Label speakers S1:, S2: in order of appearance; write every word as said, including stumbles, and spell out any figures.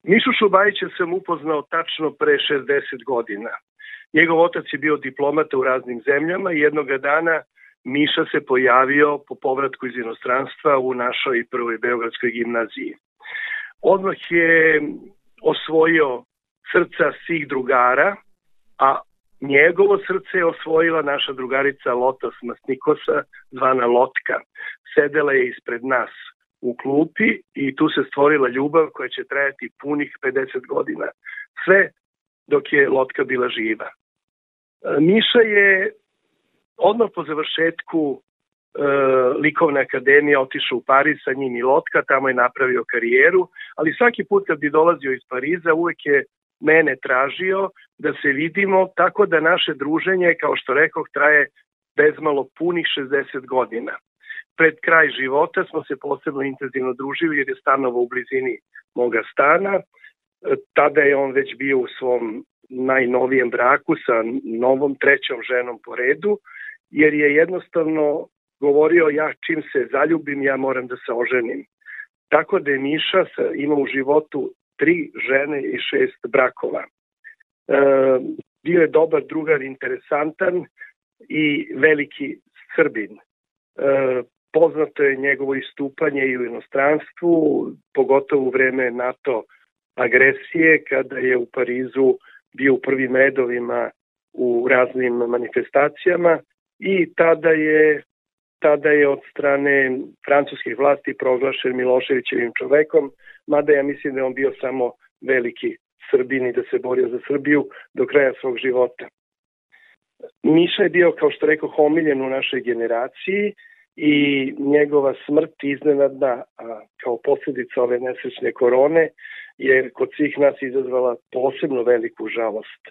S1: Mišu Šobajića sam upoznao tačno pre šezdeset godina. Njegov otac je bio diplomata u raznim zemljama i jednoga dana Miša se pojavio po povratku iz inostranstva u našoj prvoj beogradskoj gimnaziji. Odmah je osvojio srca svih drugara, a njegovo srce je osvojila naša drugarica Lota Smasnikosa, zvana Lotka. Sedela je ispred nas u klupi i tu se stvorila ljubav koja će trajati punih pedeset godina. Sve dok je Lotka bila živa. Miša je odmah po završetku e, likovne akademije otišao u Pariz, sa njim i Lotka, tamo je napravio karijeru, ali svaki put kad bi dolazio iz Pariza uvek je mene tražio da se vidimo, tako da naše druženje, kao što rekoh, traje bezmalo punih šezdeset godina. Pred kraj života smo se posebno intenzivno družili jer je stanovao u blizini moga stana. Tada je on već bio u svom najnovijem braku sa novom trećom ženom po redu, jer je jednostavno govorio ja čim se zaljubim ja moram da se oženim. Tako da je Miša imao u životu tri žene i šest brakova. E, bio je dobar drugar, interesantan i veliki Srbin. E, poznato je njegovo istupanje i u inostranstvu, pogotovo u vreme NATO agresije, kada je u Parizu bio u prvim redovima u raznim manifestacijama i tada je, tada je od strane francuskih vlasti proglašen Miloševićevim čovekom, mada ja mislim da je on bio samo veliki Srbin i da se borio za Srbiju do kraja svog života. Miša je bio, kao što rekao, omiljen u našoj generaciji i njegova smrt iznenadna, a kao posljedica ove nesrećne korone, je kod svih nas izazvala posebno veliku žalost.